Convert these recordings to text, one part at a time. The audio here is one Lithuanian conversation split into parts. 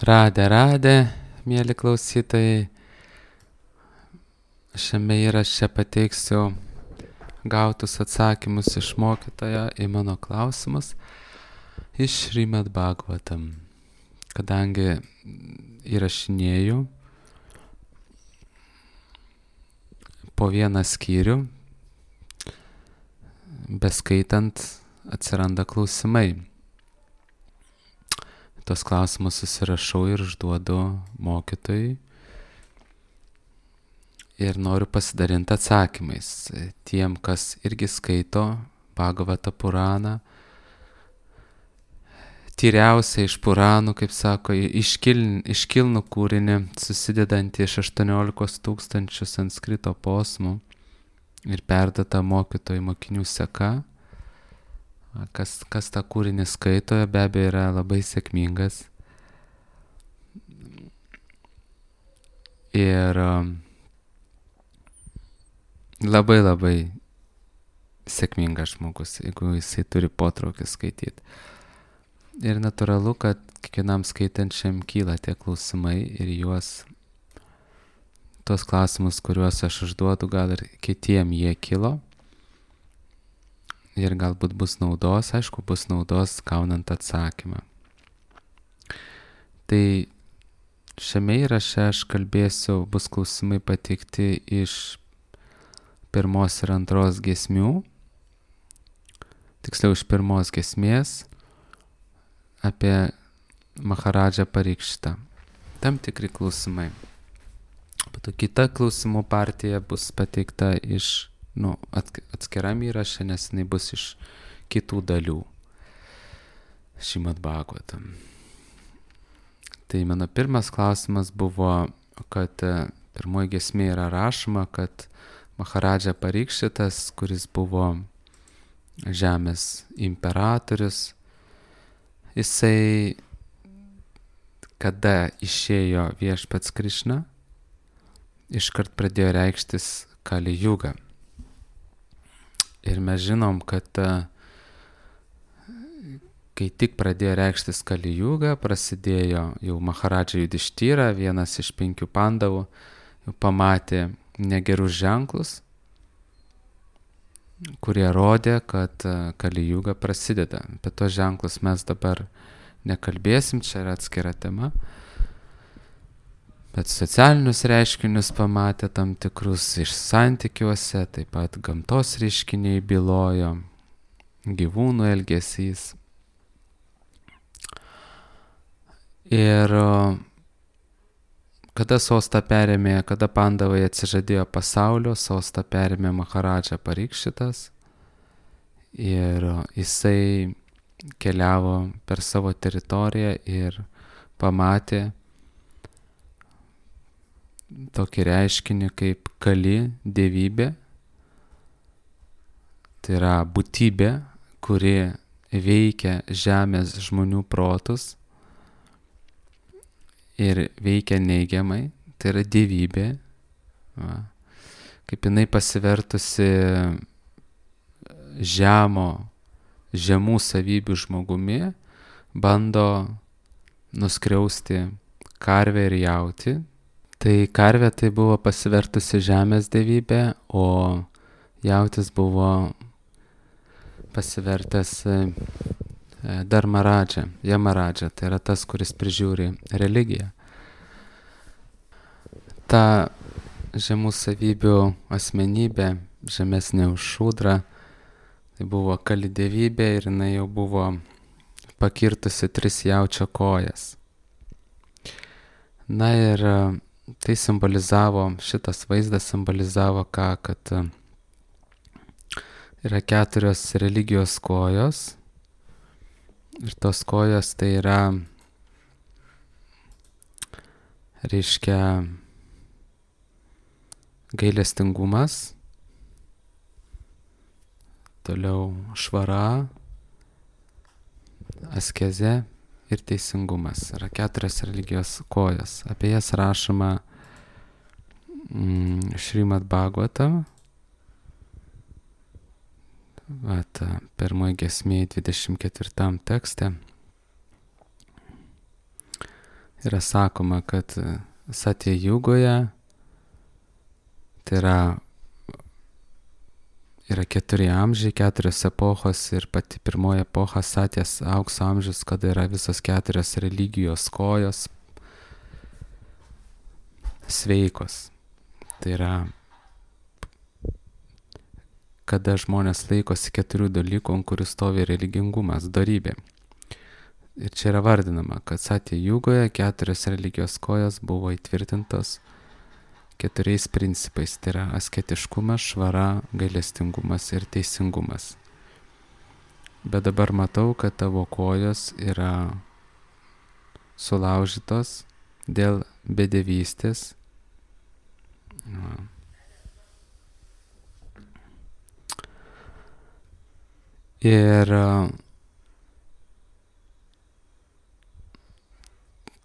Radę, mėly klausytojai, šiame įraše pateiksiu gautus atsakymus iš mokytojo į mano klausimus iš Šrimad Bhagavatam. Kadangi įrašinėju po vieną skyrių, beskaitant atsiranda klausimai. Tos klausimus susirašau ir užduodu mokytojui ir noriu pasidalinti atsakymais tiem, kas irgi skaito Bhagavata Puraną. Tyriausia iš Puranų, kaip sako, iškilnų kūrinį, susidedantį iš 18 000 sanskrito posmų ir perdata mokytojų mokinių seka. Kas tą kūrinį skaito, be abejo yra labai sėkmingas. Ir labai sėkmingas žmogus, jeigu jisai turi potraukį skaityti. Ir natūralu, kad kiekvienam skaitančiam kyla tie klausimai ir tuos klausimus, kuriuos aš užduodu, gal ir kitiem jie kilo. Ir galbūt bus naudos, aišku, bus naudos gaunant atsakymą. Tai šiame įraše aš kalbėsiu, bus klausimai pateikti iš 1 ir 2 giesmių, tiksliau iš 1 giesmės apie Maharadžą Parikšitą. Tam tikri klausimai. Po to kita klausimų partija bus pateikta iš atskiram įraše, nes jinai bus iš kitų dalių Šrimad Bhagavatam. Tai mano pirmas klausimas buvo, kad 1 giesmė yra rašoma, kad Maharadža Parikšitas, kuris buvo žemės imperatorius, jisai kada išėjo viešpats Krišna, iškart pradėjo reikštis Kali Juga. Ir mes žinom, kad kai tik pradėjo reikštis Kali Juga, prasidėjo jau Maharadža Judištyra, vienas iš 5 pandavų, jau pamatė negerus ženklus, kurie rodė, kad Kali Juga prasideda. Apie tos ženklus mes dabar nekalbėsim, čia yra atskira tema. Bet socialinius reiškinius pamatė tam tikrus iš santykiuose, taip pat gamtos reiškiniai bylojo, gyvūnų elgesys. Ir kada sostą perėmė, kada pandavai atsižadėjo pasaulio, sostą perėmė Maharadža Parikšitas ir jisai keliavo per savo teritoriją ir pamatė tokį reiškinį kaip Kali dievybė. Tai yra būtybė, kuri veikia žemės žmonių protus ir veikia neigiamai. Tai yra dievybė. Kaip jinai pasivertusi žemų savybių žmogumi, bando nuskriausti karvę ir jautį. Tai karvė tai buvo pasivertusi žemės dievybė, o jautis buvo pasivertęs Dharmaradža, Yamaradža, tai yra tas, kuris prižiūri religiją. Ta žemų savybių asmenybė, žemesnė už šūdrą, tai buvo Kali dievybė ir jinai jau buvo pakirtusi 3 jaučio kojas. Na ir tai šitas vaizdas simbolizavo ką, kad yra 4 religijos kojos ir tos kojos tai yra, reiškia, gailestingumas, toliau švara, askezė ir teisingumas. Yra 4 religijos kojos. Apie jas rašoma Šrimad Bhagavatam. 1 giesmė 24 tekste. yra sakoma, kad Satya Jugoje tai yra 4 amžiai, 4 epochos ir pati pirmoji epocha Satyas aukso amžius, kada yra visos 4 religijos kojos sveikos. Tai yra, kada žmonės laikosi 4 dalykų, ant kurių stovi religingumas, dorybė. Ir čia yra vardinama, kad Satya Jugoje 4 religijos kojos buvo įtvirtintos 4 principais. Tai yra asketiškumas, švara, gailestingumas ir teisingumas. Bet dabar matau, kad tavo kojos yra sulaužytos dėl bedevystės. Ir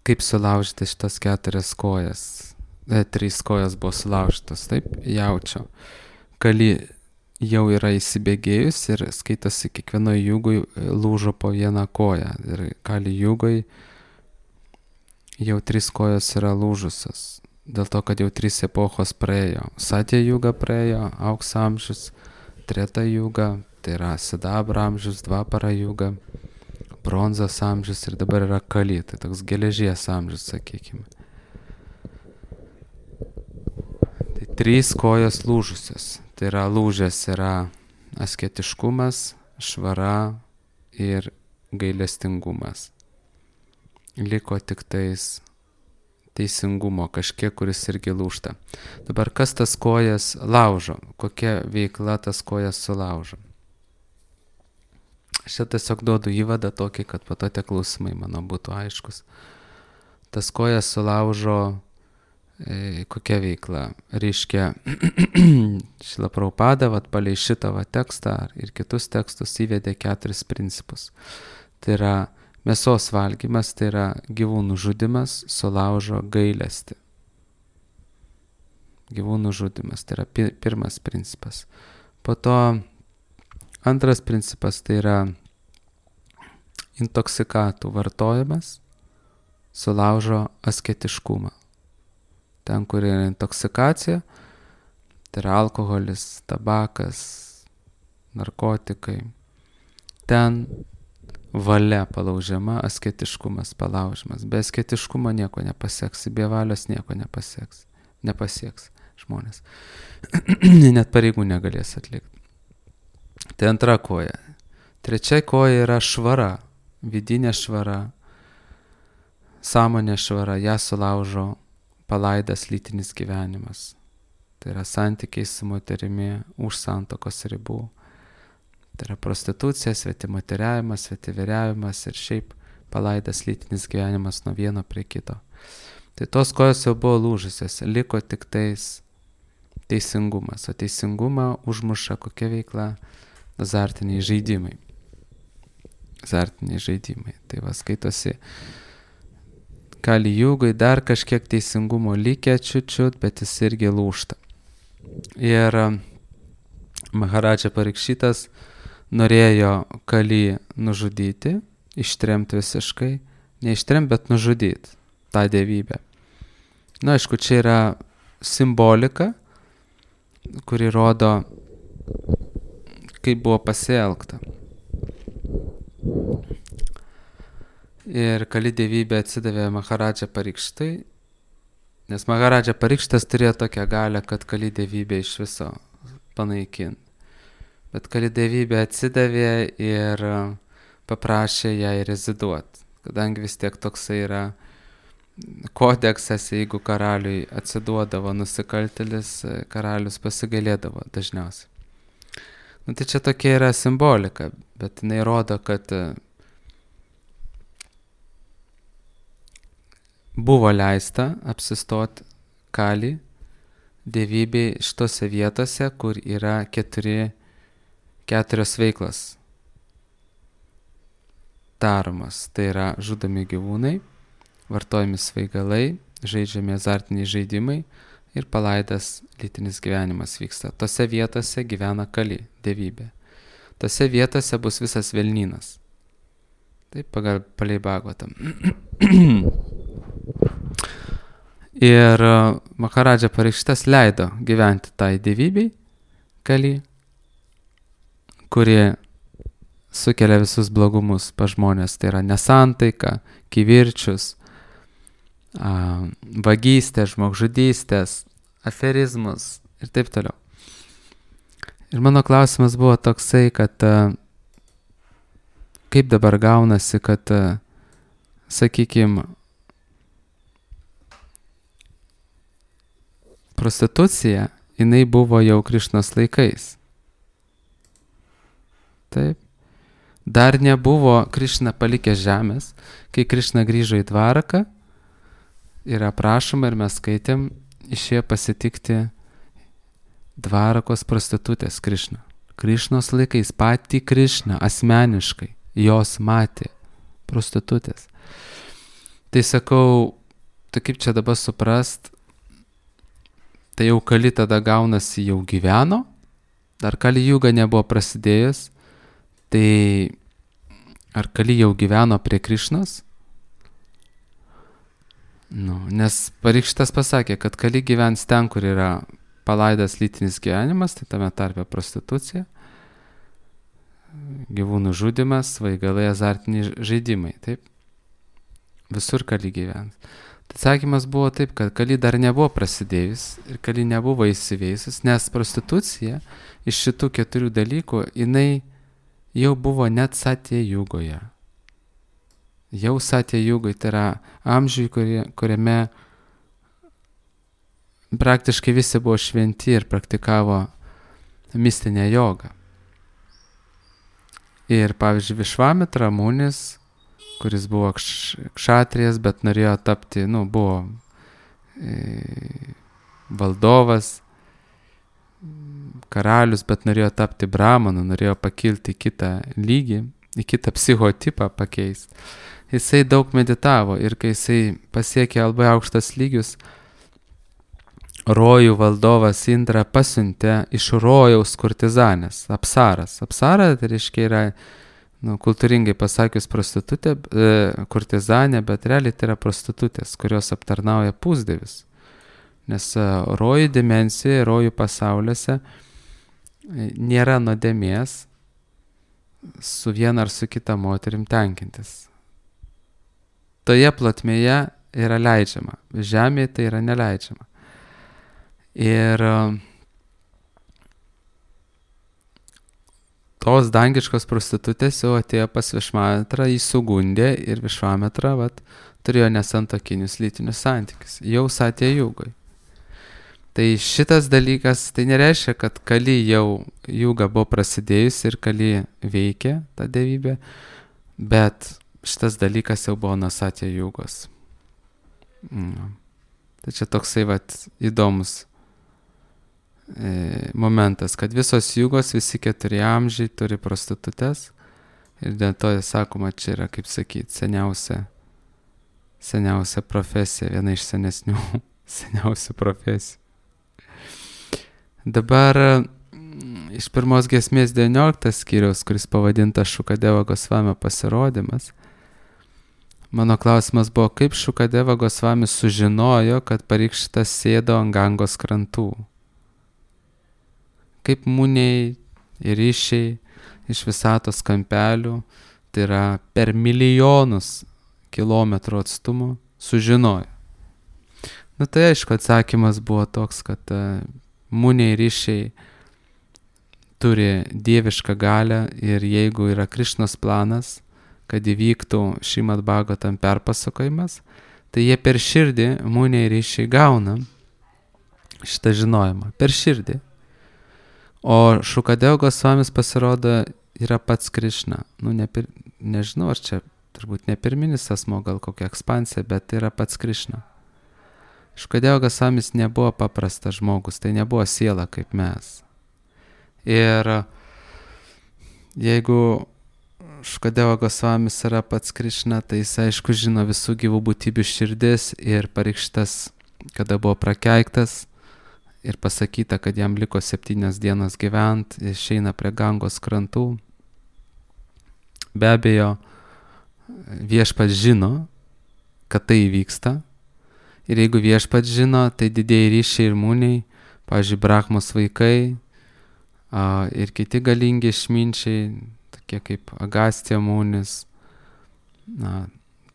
kaip sulaužyti šitas 4 kojas? 3 kojos buvo sulaužytos, taip, jaučio. Kali jau yra įsibėgėjus ir skaitosi kiekvienoje jugui lūžo po vieną koją. Ir Kali jugui jau 3 kojos yra lūžusios. Dėl to, kad jau 3 epochos praėjo. Satya juga praėjo, aukso amžius, Treta juga, tai yra sidabro amžius, Dvapara juga, bronzos amžius ir dabar yra Kali, tai toks geležies amžius, sakykime. Tai 3 kojos lūžusios. Tai yra lūžęs yra asketiškumas, švara ir gailestingumas. Liko tik tais teisingumo kažkiek, kuris irgi lūžta. Dabar kas tas kojas laužo? Kokia veikla tas kojas sulaužo? Aš čia tiesiog duodu įvadą tokį, kad po to tie klausimai mano būtų aiškus. Tas kojas sulaužo kokia veikla? Reiškia, Šrila Prabhupada palei šitą tekstą ir kitus tekstus įvedė 4 principus. Tai yra mėsos valgymas, tai yra gyvūnų žudimas, sulaužo gailestį. Gyvūnų žudimas, tai yra pirmas principas. Po to antras principas, tai yra intoksikatų vartojimas, sulaužo asketiškumą. Ten, kur yra intoksikacija, tai yra alkoholis, tabakas, narkotikai. Ten valia palaužiama, asketiškumas palaužimas. Be asketiškumo nieko nepasieks, be valios nieko nepasieks žmonės. Net pareigų negalės atlikti. Tai antra koja. Trečia koja yra švara, vidinė švara, sąmonė švara, ją sulaužo palaidas lytinis gyvenimas. Tai yra santykiai su moterimi už santuokos ribų. Tai yra prostitucija, svetimoteriavimas, svetiveriavimas ir šiaip palaidas lytinis gyvenimas nuo vieno prie kito. Tai tos kojos jau buvo lūžusios, liko tik tais teisingumas. O teisingumą užmuša kokia veikla? Azartiniai žaidimai. Azartiniai žaidimai. Tai va skaitosi Kali jugai dar kažkiek teisingumo likę čiut, bet jis irgi lūžta. Ir Maharadža Parikšitas norėjo Kali nužudyti, ištremti visiškai, neištremti, bet nužudyti tą dievybę. Na, aišku, čia yra simbolika, kuri rodo, kaip buvo pasielgta. Ir Kali dievybė atsidavė Maharadža Parikštai, nes Maharadža Parikštas turėjo tokią galią, kad Kali dievybė iš viso panaikinti. Bet Kali dievybė atsidavė ir paprašė jai reziduoti, kadangi vis tiek toksai yra kodeksas, jeigu karaliui atsiduodavo nusikaltėlis, karalius pasigailėdavo dažniausiai. Nu, tai čia tokia yra simbolika, bet jinai rodo, kad buvo leista apsistoti Kali dievybei šitose vietose, kur yra 4 veiklas daromas. Tai yra žudomi gyvūnai, vartojami svaigalai, žaidžiami azartiniai žaidimai ir palaidas lytinis gyvenimas vyksta. Tose vietose gyvena Kali dievybė. Tose vietose bus visas velnynas. Taip, palei Bhagavatam. Ir Maharadža Parikšitas leido gyventi tai dievybei, Kali, kuri sukelia visus blogumus pa žmonės. Tai yra nesantaika, kivirčius, vagystės, žmogžudystės, aferizmus ir taip toliau. Ir mano klausimas buvo toksai, kad kaip dabar gaunasi, kad, sakykime, prostitucija, jinai buvo jau Krišnos laikais. Taip. Dar nebuvo Krišna palikęs žemės, kai Krišna grįžo į Dvaraką, yra aprašoma ir mes skaitėm, išėjo pasitikti Dvarakos prostitutės Krišną. Krišnos laikais patį Krišną asmeniškai jos matė prostitutės. Tai sakau, tai kaip čia dabar suprast, tai jau Kali tada gaunasi jau gyveno, dar Kali Juga nebuvo prasidėjus, tai ar Kali jau gyveno prie Krišnos? Nes Parikšitas pasakė, kad Kali gyvens ten, kur yra palaidas lytinis gyvenimas, tai tame tarpe prostitucija, gyvūnų žudimas, svaigalai, azartiniai žaidimai, taip? Visur Kali gyvens. Tai atsakymas buvo taip, kad Kali dar nebuvo prasidėjus ir Kali nebuvo įsiveisus, nes prostitucija iš šitų 4 dalykų, jinai jau buvo net Satya Jugoje. Jau Satya Jugoje, tai yra amžiui, kuriame praktiškai visi buvo šventi ir praktikavo mistinę jogą. Ir pavyzdžiui, Višvamitra Munis, kuris buvo kšatrijas, bet norėjo tapti, buvo valdovas, karalius, bet norėjo tapti brahmanu, norėjo pakilti į kitą lygį, į kitą psichotipą pakeisti. Jisai daug meditavo ir kai jisai pasiekė labai aukštas lygius, rojų valdovas Indra pasiuntė iš rojaus kurtizanės, apsaras. Apsara, tai reiškia, yra kultūringai pasakius prostitutė, kurtizanė, bet realiai tai yra prostitutės, kurios aptarnauja pusdievius. Nes rojų dimensijoje, rojų pasauliuose nėra nuodėmės su viena ar su kita moterim tenkintis. Toje plotmėje yra leidžiama, žemėje tai yra neleidžiama. Ir tos dangiškos prostitutės jau atėjo pas Višvametrą, jį sugundė ir Višvametra turėjo nesantokinius lytinius santykius, jau Satya Jugoj. Tai šitas dalykas, tai nereiškia, kad Kali jau Juga buvo prasidėjus ir Kali veikė tą dievybę, bet šitas dalykas jau buvo nuo Satya Jugos. Tai čia toksai įdomus momentas, kad visos Jugos, visi 4 amžiai turi prostitutės ir dėl to sakoma, čia yra, kaip sakyti, seniausia profesija, viena iš seniausių profesijų. Dabar iš pirmos giesmės 19 skyriaus, kuris pavadintas Šukadeva Gosvamio pasirodymas, mano klausimas buvo, kaip Šukadeva Gosvamis sužinojo, kad Parikšitas sėdo ant Gangos krantų. Kaip Muniai ir Ryšiai iš visatos kampelių, tai yra per milijonus kilometrų atstumų, sužinojo. Tai aišku, atsakymas buvo toks, kad Muniai ir Ryšiai turi dievišką galią ir jeigu yra Krišnos planas, kad įvyktų Šrimad Bhagavatam perpasakojimas, tai jie per širdį, Muniai ir Ryšiai gauna šitą žinojimą, per širdį. O Šukadeva Gosvamis pasirodo yra pats Krišna. Nežinau, ar čia turbūt ne pirminis asmo, gal kokia ekspansija, bet tai yra pats Krišna. Šukadeva Gosvamis nebuvo paprastas žmogus, tai nebuvo siela kaip mes. Ir jeigu Šukadeva Gosvamis yra pats Krišna, tai jis aišku žino visų gyvų būtybių širdis ir Parikšitas, kada buvo prakeiktas, ir pasakyta, kad jam liko 7 dienas gyvent, išeina prie Gangos krantų. Be abejo, viešpats žino, kad tai įvyksta Ir jeigu viešpats žino, tai didieji ryšiai ir mūniai, pavyzdžiui, Brahmos vaikai ir kiti galingi išminčiai, tokie kaip Agastija mūnis,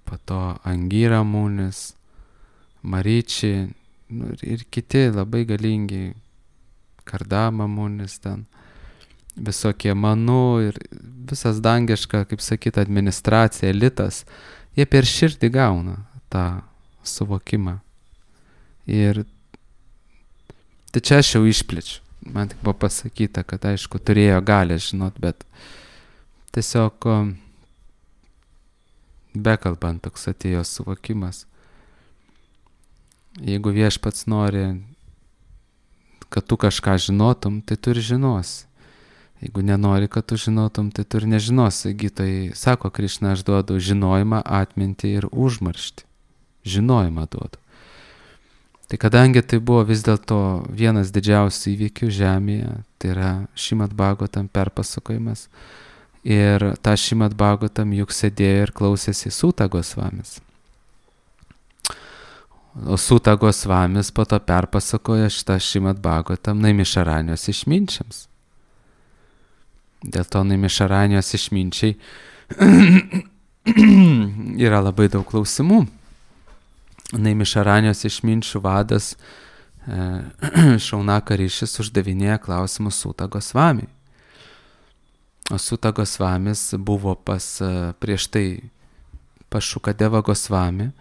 po to Angyra mūnis, Maryčiai, ir kiti labai galingi, Kardama mūnis ten, visokie Manų ir visas dangiška, kaip sakyt, administracija, elitas, jie per širdį gauna tą suvokimą. Ir tai čia aš jau išplečiu. Man tik buvo pasakyta, kad aišku turėjo galę žinot, bet tiesiog bekalbant toks atėjo suvokimas. Jeigu viešpats nori, kad tu kažką žinotum, tai tu ir žinosi. Jeigu nenori, kad tu žinotum, tai tu ir nežinosi. Gytojai sako, Krišna, aš duodu žinojimą, atmintį ir užmarštį. Žinojimą duodu. Tai kadangi tai buvo vis dėlto vienas didžiausių įvykių žemėje, tai yra Šrimad Bhagavatam perpasakojimas, ir tą Šrimad Bhagavatam juk sėdėjo ir klausėsi Sūta Gosvamis. O Sūta Gosvamis po to perpasakoja šitą Šrimad Bhagavatam Naimisharanijos išminčiams. Dėl to Naimisharanijos išminčiai yra labai daug klausimų. Naimisharanijos išminčių vadas Šaunaka Rišis uždavinėja klausimus Sūta Gosvamiui. O Sūta Gosvamis buvo prieš tai pas Šukadevą Gosvami,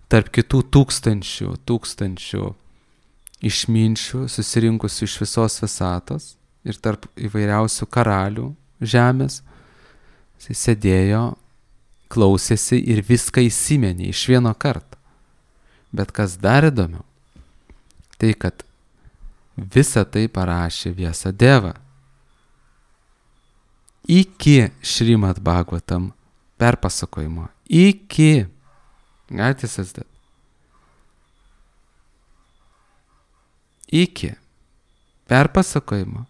tarp kitų tūkstančių išminčių susirinkusių iš visos visatos ir tarp įvairiausių karalių žemės. Jis sėdėjo, klausėsi ir viską įsimenė iš vieno karto. Bet kas dar įdomiau, tai kad visą tai parašė Vyasadeva iki Šrimad Bhagavatam perpasakojimo. Galite įsivaizduoti? Iki perpasakojimo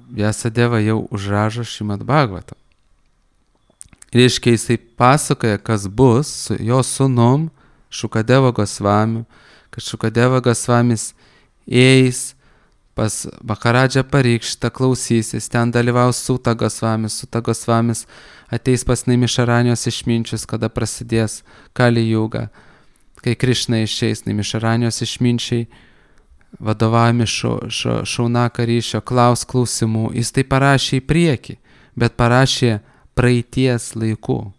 Vyasadeva jau užrašo Šrimad Bhagavatam. Reiškia, jisai pasakoja, kas bus su jo sūnum Šukadeva Gosvamiu, kad Šukadeva Gosvamis eis pas Maharadžą Parikštą, klausysis, ten dalyvaus Sūta Gosvamis, Sūta Gosvamis ateis pas Naimisharanijos išminčius, kada prasidės Kali Juga, kai Krišna išeis, Naimisharanijos išminčiai vadovaujami Šaunaka Ryšio klausimų. Jis tai parašė į priekį, bet parašė praeities laikų.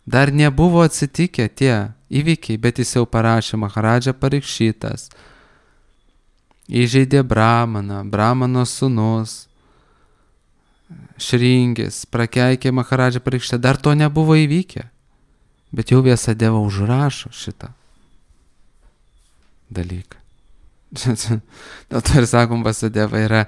Dar nebuvo atsitikę tie įvykiai, bet jis jau parašė Maharadža Parikšitas, įžeidė Brahmano sūnus, Šringis, prakeikė Maharadža Parikšitą, dar to nebuvo įvykę, bet jau Vyasadeva užrašo šitą dalyką. Dėl to ir sakom, Vyasadeva yra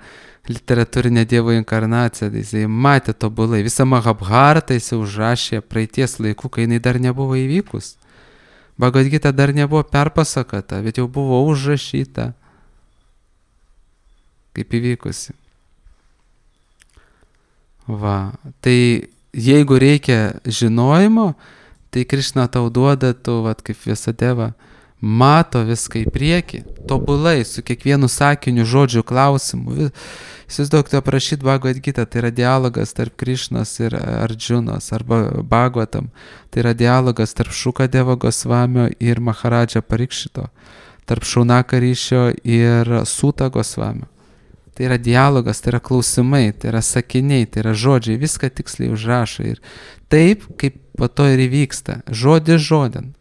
literatūrinė Dievo inkarnacija, jisai matė tobulai, visą Mahabharatą jisai užrašė praeities laikų, kai jinai dar nebuvo įvykus. Bhagavad Gita dar nebuvo perpasakota, bet jau buvo užrašyta kaip įvykusi. Tai jeigu reikia žinojimo, tai Krišna tau duoda, tu, kaip Vyasadeva, mato viską į priekį, tobulai, su kiekvienu sakiniu, žodžiu, klausimu. Įsivaizduok, tu aprašyt Bhagavad Gita, tai yra dialogas tarp Krišnos ir Ardžunos, arba Bhagavatam, tai yra dialogas tarp Šukadeva Gosvamio ir Maharadža Parikšito, tarp Šaunaka Ryšio ir Sūta Gosvamio. Tai yra dialogas, tai yra klausimai, tai yra sakiniai, tai yra žodžiai, viską tiksliai užrašo. Ir taip, kaip po to ir įvyksta, žodis žodin.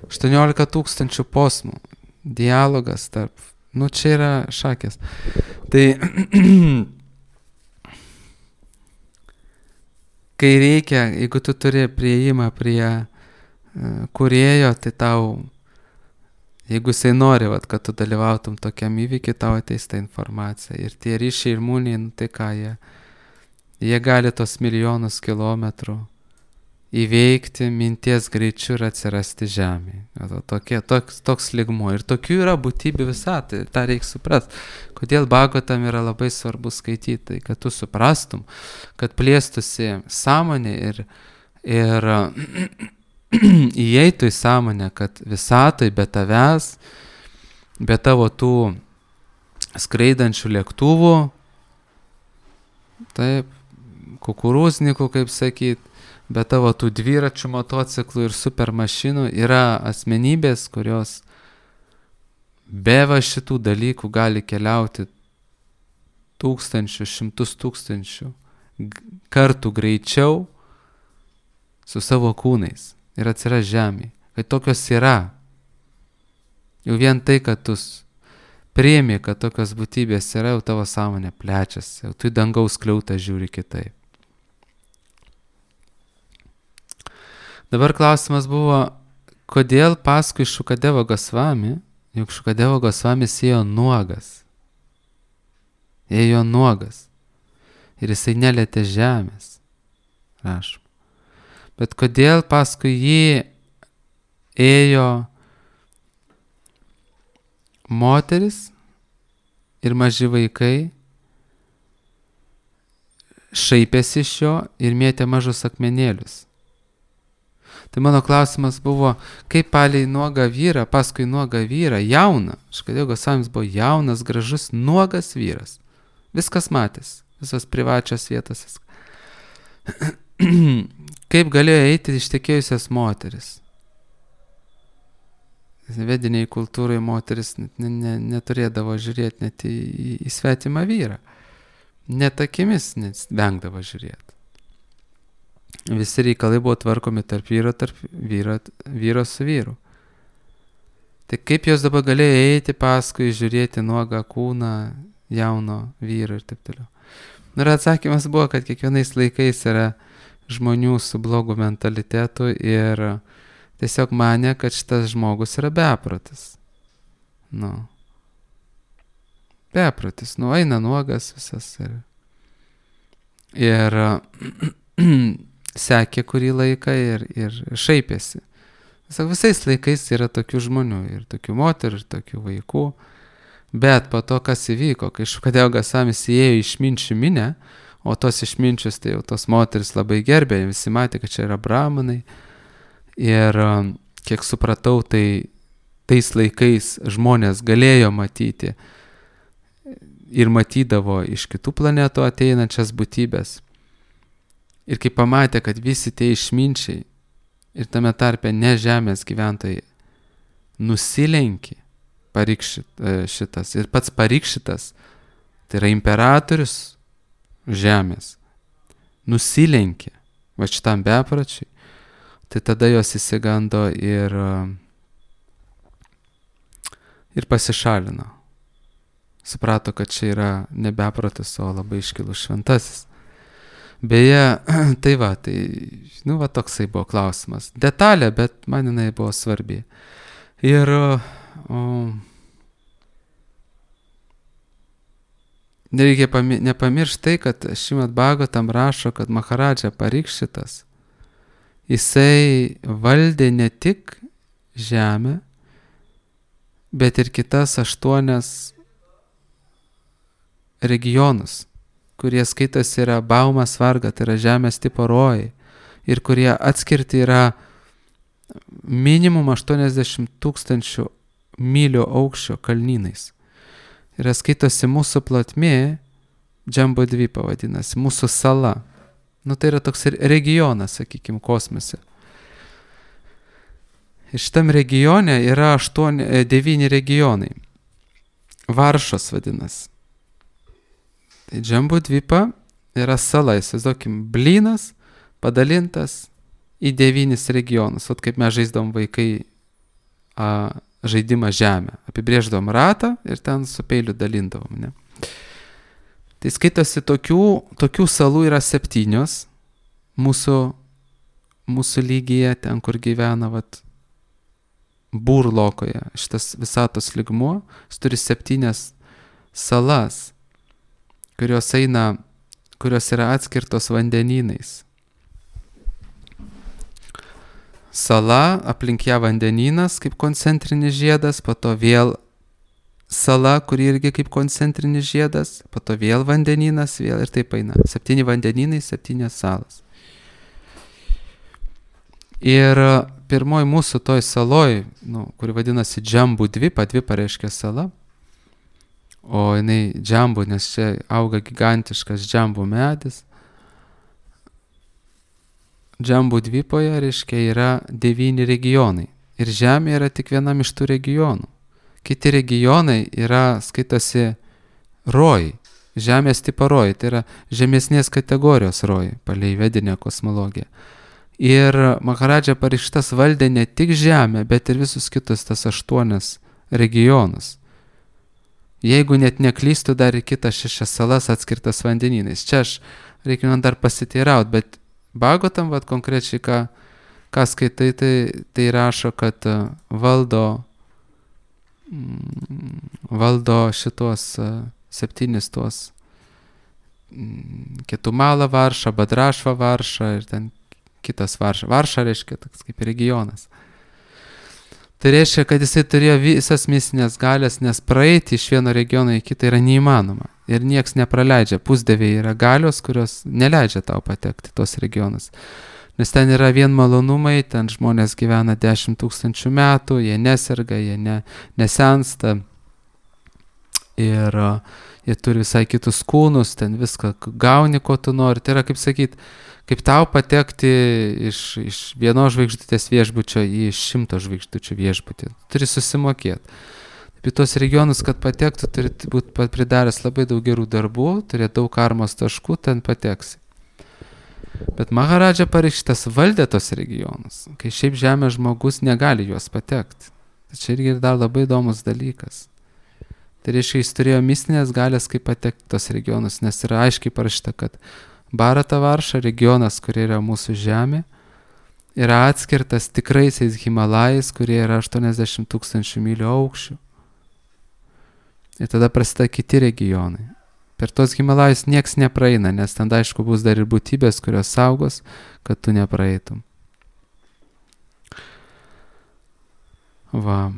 18 000 posmų, dialogas tarp, čia yra šakės. Tai, kai reikia, jeigu tu turi priėjimą prie kūrėjo, tai tau, jeigu jisai nori, kad tu dalyvautum tokiam įvykiui, tau ateis ta informacija. Ir tie ryšiai ir mūniai, tai ką jie gali tos milijonus kilometrų įveikti minties greičiu ir atsirasti žemėje. Toks lygmuo. Ir tokių yra būtybių visatoj. Tai tą reikia suprasti. Kodėl Bhagavatam yra labai svarbu skaityti, tai kad tu suprastum, kad plėstųsi sąmonė ir įeitų į sąmonę, kad visatoj be tavęs, be tavo tų skraidančių lėktuvų, taip, kukurūznikų, kaip sakyt, be tavo tų dviračių, motociklų ir supermašinų yra asmenybės, kurios be va šitų dalykų gali keliauti tūkstančių, šimtus tūkstančių kartų greičiau su savo kūnais ir atsiras žemėje. Kai tokios yra, jau vien tai, kad tu priimi, kad tokios būtybės yra, jau tavo sąmonė plečiasi, jau tu į dangaus skliautą žiūri kitaip. Dabar klausimas buvo, kodėl paskui Šukadeva Gosvami, juk Šukadeva Gosvamis ėjo nuogas. Ėjo nuogas. Ir jisai nelietė žemės. Rašom. Bet kodėl paskui jį ėjo moteris ir maži vaikai, šaipėsi iš jo ir mėtė mažus akmenėlius. Tai mano klausimas buvo, kaip palei nuogą vyrą, paskui nuogą vyrą, jauną, Šukadeva Gosvamis buvo jaunas, gražus, nuogas vyras. Viskas matės, visos privačios vietos. Kaip galėjo eiti ištekėjusios moteris? Vediniai kultūrai moteris neturėdavo žiūrėti net į svetimą vyrą. Net akimis vengdavo žiūrėti. Visi reikalai buvo tvarkomi tarp vyro su vyru. Tai kaip jos dabar galėjo eiti paskui žiūrėti nuogą kūną jauno vyro ir taip toliau. Ir atsakymas buvo, kad kiekvienais laikais yra žmonių su blogu mentalitetu ir tiesiog manė, kad šitas žmogus yra beprotis. Beprotis, eina nuogas visas ir sekė kurį laiką ir šaipėsi. Visais laikais yra tokių žmonių, ir tokių moterų, ir tokių vaikų. Bet po to, kas įvyko, kai Šukadeva Gosvamis įėjo į išminčių minę, o tos išminčius, tai jau tos moteris labai gerbė, visi matė, kad čia yra brahmanai. Ir kiek supratau, tai tais laikais žmonės galėjo matyti ir matydavo iš kitų planetų ateinančias būtybės. Ir kai pamatė, kad visi tie išminčiai ir tame tarpe ne žemės gyventojai nusilenkė Parikšitas ir pats Parikšitas, tai yra imperatorius žemės, nusilenkė va šitam bepročiui, tai tada jos įsigando ir pasišalino. Suprato, kad čia yra ne beprotis, o labai iškilus šventasis. Beje, tai toksai buvo klausimas. Detalė, bet man jinai buvo svarbi. Ir nereikia nepamiršti tai, kad Šrimad Bhagavatam rašo, kad Maharadža Parikšitas, jisai valdė ne tik žemę, bet ir kitas 8 regionus, kurie skaitosi yra Baumas Varga, tai yra žemės tipo rojai, ir kurie atskirti yra minimum 80 000 mylių aukščio kalnynais. Ir skaitosi mūsų plotmė, Džambudvipa vadinasi, mūsų sala. Tai yra toks regionas, sakykime, kosmose. Ir šitam regione yra 9 regionai. Varšos vadinasi. Tai Džambudvipa yra sala, įsivaizduokim, blynas padalintas į 9 regionus. Vat kaip mes žaisdavom vaikai žaidimą žemę. Apibrėždavom ratą ir ten su peiliu dalindavom. Ne? Tai skaitosi tokių salų yra 7 mūsų lygyje, ten kur gyvena Burlokoje. Šitas visatos lygmuo, jis turi 7 salas, kurios yra atskirtos vandenynais. Sala, aplink ją vandenynas kaip koncentrinis žiedas, po to vėl sala, kuri irgi kaip koncentrinis žiedas, po to vėl vandenynas, vėl ir taip eina. 7 vandenynai, 7 salas. Ir pirmoj mūsų toj saloj, kuri vadinasi Džambų dvipa, dvipa reiškia sala, o jinai Džambų, nes čia auga gigantiškas Džambų medis. Džambų dvipoje, reiškia, yra 9 regionai. Ir Žemė yra tik vienam iš tų regionų. Kiti regionai yra, skaitosi, rojai. Žemės tipo rojai, tai yra žemesnės kategorijos rojai, palei vedinę kosmologiją. Ir Maharadža Parikšitas valdė ne tik Žemę, bet ir visus kitus tas 8 regionus. Jeigu net neklystų, dar ir kitas 6 salas atskirtas vandenynais. Čia aš reikia man dar pasiteiraut, bet Bhagavatam, konkrečiai, ką skaitai, tai rašo, kad valdo šitos 7 tuos Ketumala Varša, Badrašva Varša ir ten kitas Varša. Varša reiškia toks kaip regionas. Tai reiškia, kad jisai turėjo visas mistinės galės, nes praeiti iš vieno regiono į kitą yra neįmanoma. Ir nieks nepraleidžia. Pusdieviai yra galios, kurios neleidžia tau patekti tos regionus. Nes ten yra vien malonumai, ten žmonės gyvena 10 000 metų, jie neserga, jie nesensta. Ir jie turi visai kitus kūnus, ten viską gauni, ko tu nori. Tai yra, kaip sakyt, kaip tau patekti iš vienos žvaigždutės viešbučio į 100 žvaigždučių viešbutį. Turi susimokėti. Apie tos regionus, kad patektų, turi būti pridaręs labai daug gerų darbų, turi daug karmos taškų, ten pateksi. Bet Maharadža Parikšitas valdė tos regionus, kai šiaip žemės žmogus negali juos patekti. Tai čia irgi dar labai įdomus dalykas. Tai reiškia, jis turėjo mistinės galės, kaip patekti tos regionus, nes yra aiškiai parašyta, kad Bharata Varša regionas, kurie yra mūsų žemė, yra atskirtas tikraisiais Himalajais, kurie yra 80 000 mylių aukščių. Ir tada prasideda kiti regionai. Per tos Himalajus nieks nepraeina, nes ten aišku bus dar ir būtybės, kurios saugos, kad tu nepraeitum. Va.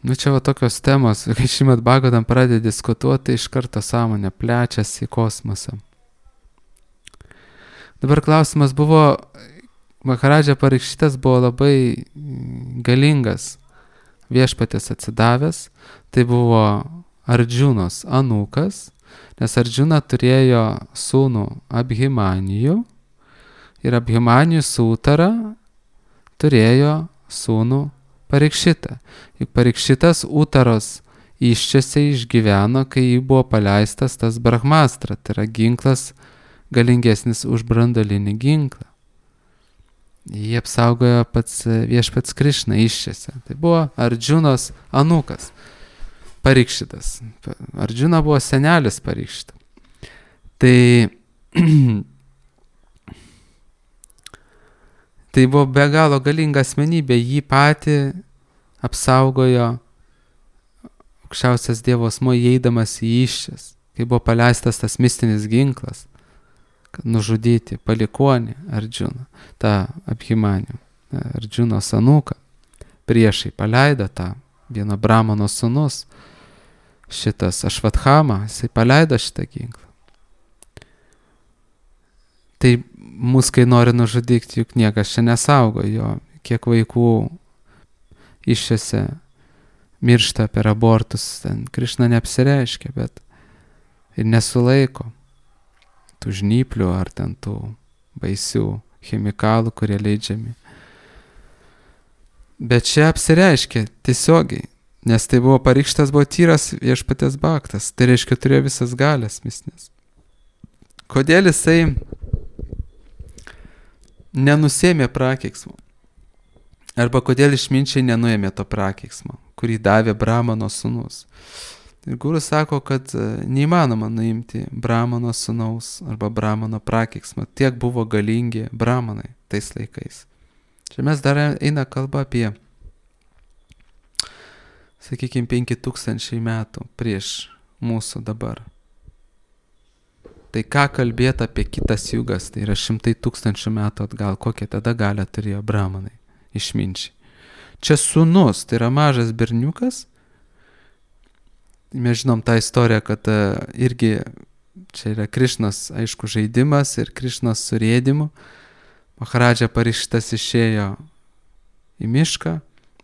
Čia tokios temos, kai Šrimad Bhagavatam pradeda diskutuoti, iš karto sąmonė plečiasi į kosmosą. Dabar klausimas buvo, Maharadža Parikšitas buvo labai galingas viešpatės atsidavęs, tai buvo Ardžunos anūkas, nes Ardžuna turėjo sūnų Abhimanijų ir Abhimanijų Sūtara turėjo sūnų Parikšitą. Juk Parikšitas Utaros iščiose išgyveno, kai jį buvo paleistas tas Brahmastra, tai yra ginklas galingesnis už branduolinį ginklą. Jį apsaugojo pats viešpats Krišna iščiose. Tai buvo Ardžunos anūkas. Parikšitas. Ardžuna buvo senelis Parikšito. Tai buvo be galo galinga asmenybė, jį patį apsaugojo aukščiausias Dievo asmuo įeidamas į iščias, kai buvo paleistas tas mistinis ginklas, kad nužudyti palikuonį Ardžuną, tą Abhimanijų, Ardžunos anūką. Priešai paleido tą vieno brahmano sūnus, šitas Ašvathama, jisai paleido šitą ginklą. Tai mus, kai nori nužudyti, juk niekas čia nesaugo jo, kiek vaikų iščiose miršta per abortus, ten Krišna neapsireiškia, bet ir nesulaiko tų žnyplių ar ten tų baisių chemikalų, kurie leidžiami. Bet čia apsireiškia tiesiogiai, nes tai buvo Parikšitas, buvo tyras viešpatės bhaktas, tai reiškia turėjo visas galias mistinės. Kodėl jisai nenusėmė prakeiksmo? Arba kodėl išminčiai nenuėmė to prakeiksmo, kurį davė Brahmano sūnus? Ir guru sako, kad neįmanoma nuimti Brahmano sūnaus arba Brahmano prakeiksmo. Tiek buvo galingi Brahmanai tais laikais. Čia mes dar eina kalba apie, sakykime, 5000 metų prieš mūsų dabar. Tai ką kalbėti apie kitas jugas, tai yra 100 000 metų atgal, kokią tada galią turėjo Brahmanai, išminčiai. Čia sūnus, tai yra mažas berniukas. Mes žinom tą istoriją, kad irgi čia yra Krišnos, aišku, žaidimas ir Krišnos surėdimu. Maharadža Parikšitas išėjo į mišką,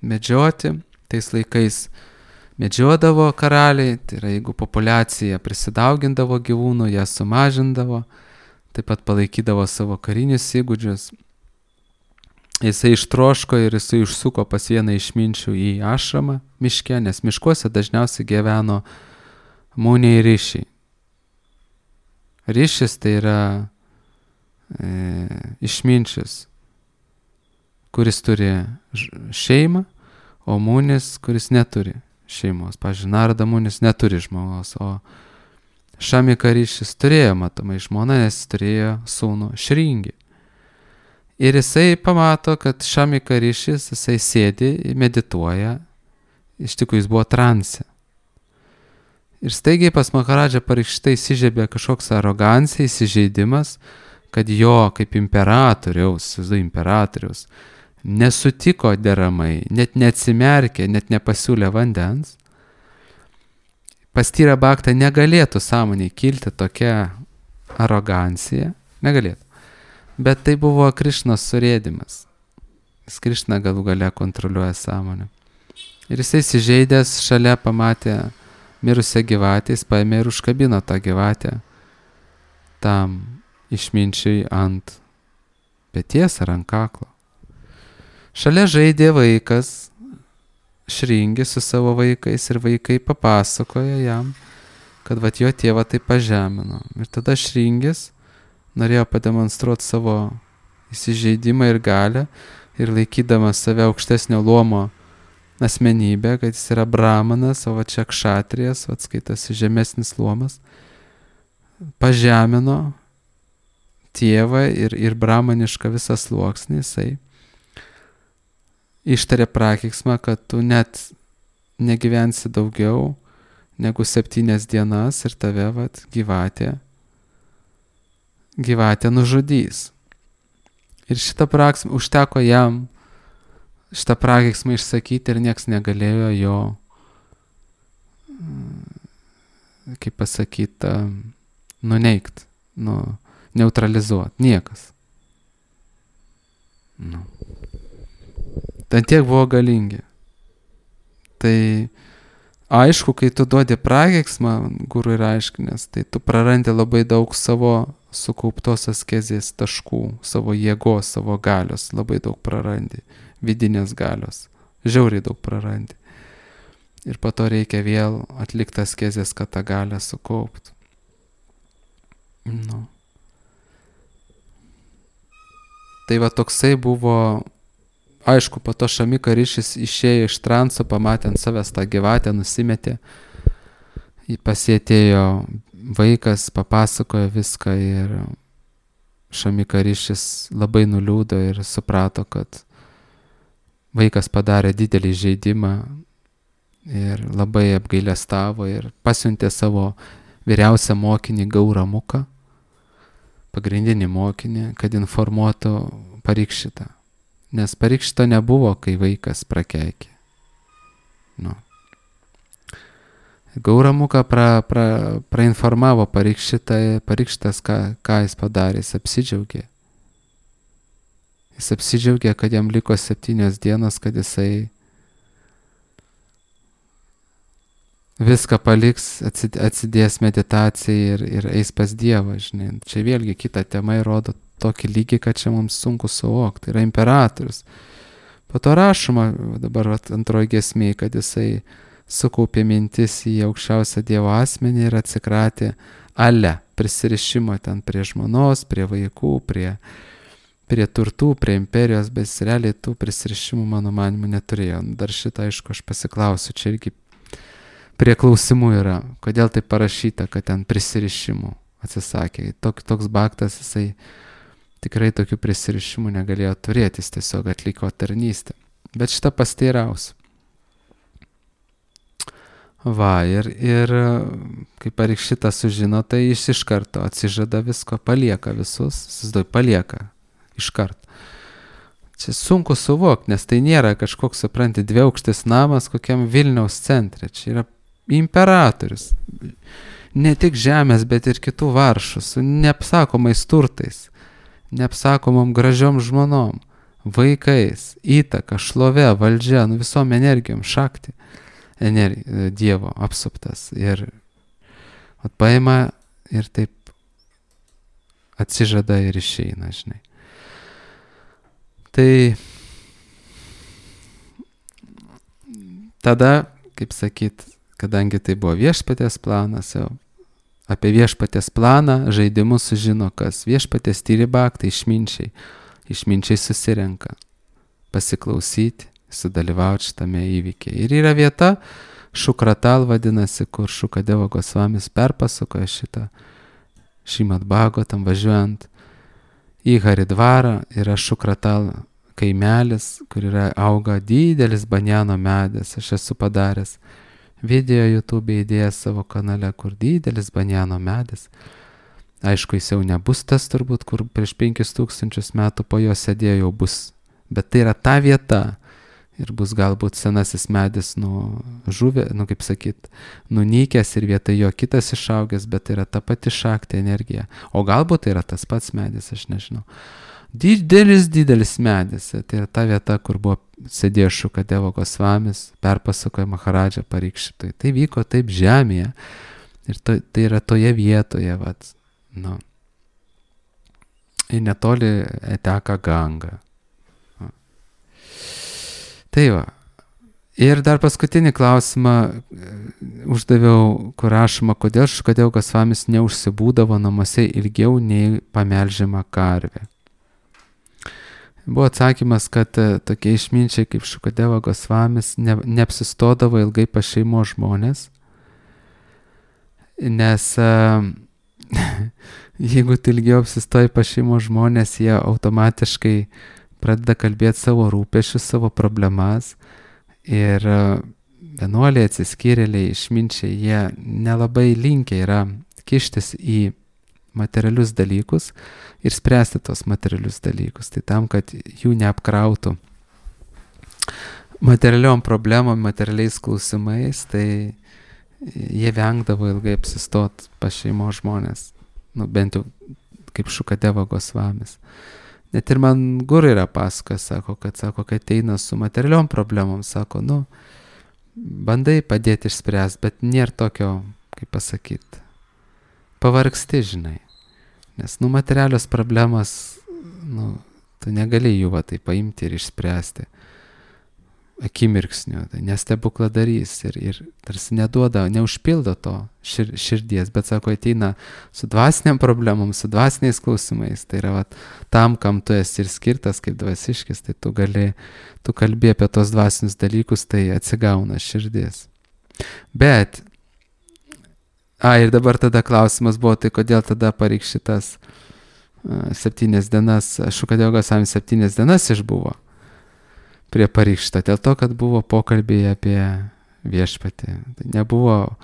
medžioti. Tais laikais medžiodavo karaliai, tai yra jeigu populiacija prisidaugindavo gyvūnų, ją sumažindavo, taip pat palaikydavo savo karinius įgūdžius. Jisai ištroško ir jisai užsuko pas vieną išminčių į ašramą miške, nes miškuose dažniausiai gyveno mūniai ryšiai. Ryšis tai yra išminčius, kuris turi šeimą, o mūnis, kuris neturi šeimos. Pavyzdžiui, Narada mūnis neturi žmonos, o Šamika ryšis turėjo matomai žmoną, nes turėjo sūnų Šringį. Ir jisai pamato, kad Šamika ryšis, jisai sėdi, medituoja, iš tikrųjų jis buvo transe. Ir staigiai pas Maharadžą Parikšitą įsižiebė kažkoks arogancija, įsižeidimas, kad jo kaip imperatoriaus nesutiko deramai, net neatsimerkė, net nepasiūlė vandens. Pas Tyrą Bhaktą negalėtų sąmoniai kilti tokia arogancija, negalėtų. Bet tai buvo Krišnos surėdimas. Jis Krišna galų gale kontroliuoja sąmonę. Ir jisai įsižeidęs šalia pamatė mirusią gyvatę, jis paėmė ir užkabino tą gyvatę tam išminčiui ant peties ar ant kaklo. Šalia žaidė vaikas Šringis su savo vaikais ir vaikai papasakojo jam, kad vat jo tėvą tai pažemino. Ir tada Šringis norėjo pademonstruoti savo įsižeidimą ir galią ir laikydamas save aukštesnio luomo asmenybę, kad jis yra brahmanas, o va čia kšatrijas, va skaitasi žemesnis luomas, pažemino tėvą ir brahmanišką visą sluoksnį, jisai ištarė prakeiksmą, kad tu net negyvensi daugiau negu 7 dienas ir tave vat gyvatė nužudys. Ir šitą prakeiksmą užteko jam šitą prakeiksmą išsakyti ir nieks negalėjo jo, kaip pasakyti, nuneigt, neutralizuoti. Niekas. Ten tiek buvo galingi. Tai aišku, kai tu duodi prakeiksmą, guru ir aiškinės, tai tu prarandi labai daug savo sukauptos askezės taškų, savo jėgos, savo galios, labai daug prarandi, vidinės galios, žiauriai daug prarandi. Ir po to reikia vėl atlikti askezės, kad tą galią sukauptų. Tai va toksai buvo. Aišku, po to Šamika ryšis išėjo iš transo, pamatė ant savęs tą gyvatę, nusimetė. Pasietėjo vaikas, papasakojo viską ir Šamika ryšis labai nuliūdo ir suprato, kad vaikas padarė didelį žaidimą ir labai apgailestavo ir pasiuntė savo vyriausią mokinį Gauramuką, pagrindinį mokinį, kad informuotų Parikšitą. Nes Parikšito nebuvo, kai vaikas prakeikė. Gauramuka prainformavo Parikšitą, Parikšitas, ką jis padarė, jis apsidžiaugė. Jis apsidžiaugė, kad jam liko 7 dienos, kad jisai viską paliks, atsidės meditacijai ir eis pas Dievą, žinai. Čia vėlgi kita tema įrodo tokį lygį, kad čia mums sunku suvokti. Tai yra imperatorius. Po to rašoma dabar antroji giesmė, kad jisai sukaupė mintis į aukščiausią Dievo asmenį ir atsikratė prisirišimo ten prie žmonos, prie vaikų, prie turtų, prie imperijos, bet realiai tų prisirišimų mano manimu neturėjo. Dar šitą, aišku, aš pasiklausiu, čia irgi prie klausimų yra, kodėl tai parašyta, kad ten prisirišimų atsisakė. Toks bhaktas, jisai tikrai tokių prisirišimų negalėjo turėti, jis tiesiog atliko tarnystę. Bet šitą pasteirausiu. Va, ir kai Parikšita sužino, tai jis iš karto atsižada visko, palieka visus, palieka iš karto. Čia sunku suvokti, nes tai nėra kažkoks, supranti, 2-aukštis namas kokiam Vilniaus centre. Čia yra imperatorius. Ne tik žemės, bet ir kitų varšų, su neapsakomais turtais, neapsakomom gražiom žmonom, vaikais, įtaka, šlove, valdžia, visom energijom, šakti, Dievo apsuptas. Ir paima ir taip atsižada ir išeina, žinai. Tai tada, kaip sakyt, kadangi tai buvo viešpaties planas, jau apie viešpaties planą, žaidimus sužino kas. Viešpaties tyri baktai, išminčiai susirenka pasiklausyti, sudalyvauti šitame įvykyje. Ir yra vieta, Šukratal vadinasi, kur Šukadevo Gosvamis perpasakoja šitą Šrimad Bhagavatam važiuojant į Haridvarą. Yra Šukratal kaimelis, kur auga didelis banjano medis. Aš esu padaręs video YouTube įdėjęs savo kanale, kur didelis banjano medis. Aišku, jis jau nebus tas turbūt, kur prieš 5000 metų po jo sėdėjo, jau bus. Bet tai yra ta vieta. Ir bus galbūt senasis medis kaip sakyt, nunykęs ir vietoj jo kitas išaugęs, bet tai yra ta pati šakti energija. O galbūt tai yra tas pats medis, aš nežinau. Didelis medis. Tai yra ta vieta, kur buvo sėdėjo Šukadevo Gosvamis, perpasakoja Maharadža Parikšitui. Tai vyko taip žemėje. Ir tai yra toje vietoje, ir netoli teka Ganga. Tai va. Ir dar paskutinį klausimą uždaviau, kur rašoma, kodėl Šukadevo Gosvamis neužsibūdavo namuose ilgiau nei pamelžiama karvė. Buvo atsakymas, kad tokie išminčiai kaip Šukadevo Gosvamis neapsistodavo ilgai pas šeimos žmonės, nes jeigu tu ilgiau apsistoji pas šeimos žmonės, jie automatiškai pradeda kalbėti savo rūpešius, savo problemas. Ir vienuoliai, atsiskyrėliai, išminčiai, jie nelabai linkę yra kištis į materialius dalykus ir spręsti tos materialius dalykus. Tai tam, kad jų neapkrautų materialiom problemom, materialiais klausimais, tai jie vengdavo ilgai apsistot pas šeimos žmonės. Bent jau kaip Šukadevo Gosvamis. Net ir man guru yra pasakoja, sako, kad ateina su materialiom problemom, sako, bandai padėti išspręsti, bet nėra tokio, kaip pasakyti, pavargsti, žinai. Nes, materialios problemas, tu negali jų tai paimti ir išspręsti akimirksniu, tai nestebukladarys ir tarsi neduoda, neužpildo to širdies, bet sako, ateina su dvasiniam problemom, su dvasiniais klausimais, tai yra tam, kam tu esi ir skirtas kaip dvasiškis, tai tu kalbi apie tos dvasinius dalykus, tai atsigauna širdis. Bet, ir dabar tada klausimas buvo, tai kodėl tada Parikšitas 7 dienas, Šukadevo Gosvamis 7 dienas išbuvo prie Parikšito, dėl to, kad buvo pokalbiai apie viešpatį. Tai nebuvo,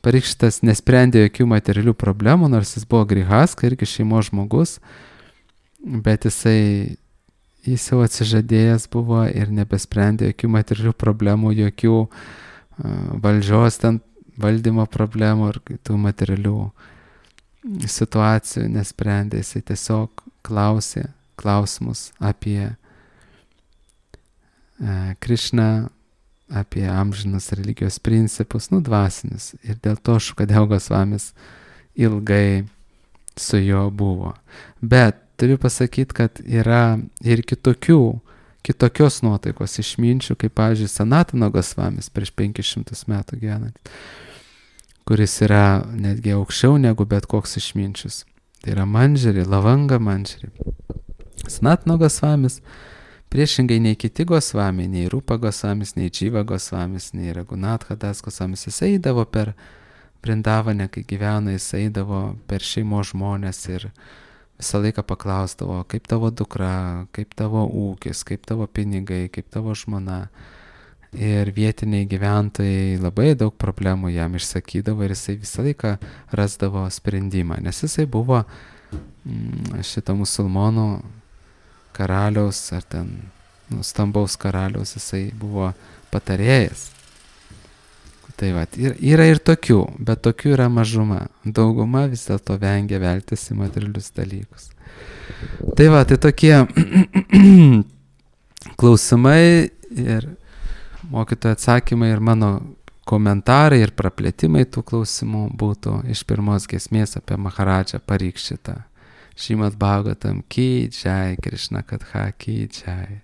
Parikšitas nesprendė jokių materialių problemų, nors jis buvo grihaska, irgi šeimos žmogus, bet jis jau atsižadėjęs buvo ir nebesprendė jokių materialių problemų, jokių valdžios valdymo problemų ir tų materialių situacijų nesprendė. Jis tiesiog klausė klausimus apie Krišną, apie amžinus religijos principus, dvasinius. Ir dėl to Šukadevo Gosvamis ilgai su juo buvo. Bet turiu pasakyti, kad yra ir kitokios nuotaikos išminčių, kaip, pavyzdžiui, Sanatano Gosvamis prieš 500 metų gyvenant, kuris yra netgi aukščiau negu bet koks išminčius. Tai yra Manžari, Lavanga Manžari. Sanatano Gosvamis priešingai nei kiti Gosvamiai, nei Rupa Gosvamis, nei Dživa Gosvamis, nei Raghunatha Das Gosvamis, jis eidavo per Brindavanę, kai gyveno, jis eidavo per šeimos žmonės ir visą laiką paklausdavo, kaip tavo dukra, kaip tavo ūkis, kaip tavo pinigai, kaip tavo žmona. Ir vietiniai gyventojai labai daug problemų jam išsakydavo ir jisai visą laiką rasdavo sprendimą, nes jisai buvo šito musulmonų karaliaus ar ten stambaus karaliaus, jisai buvo patarėjas. Tai yra ir tokių, bet tokių yra mažuma. Dauguma vis dėlto vengia veltis į materialius dalykus. Tai tokie klausimai ir mokytojų atsakymai ir mano komentarai ir praplėtimai tų klausimų būtų iš pirmos giesmės apie Maharadžą Parikšitą. Šrimad Bhagavatam ki jai, Krishna Katha ki jai.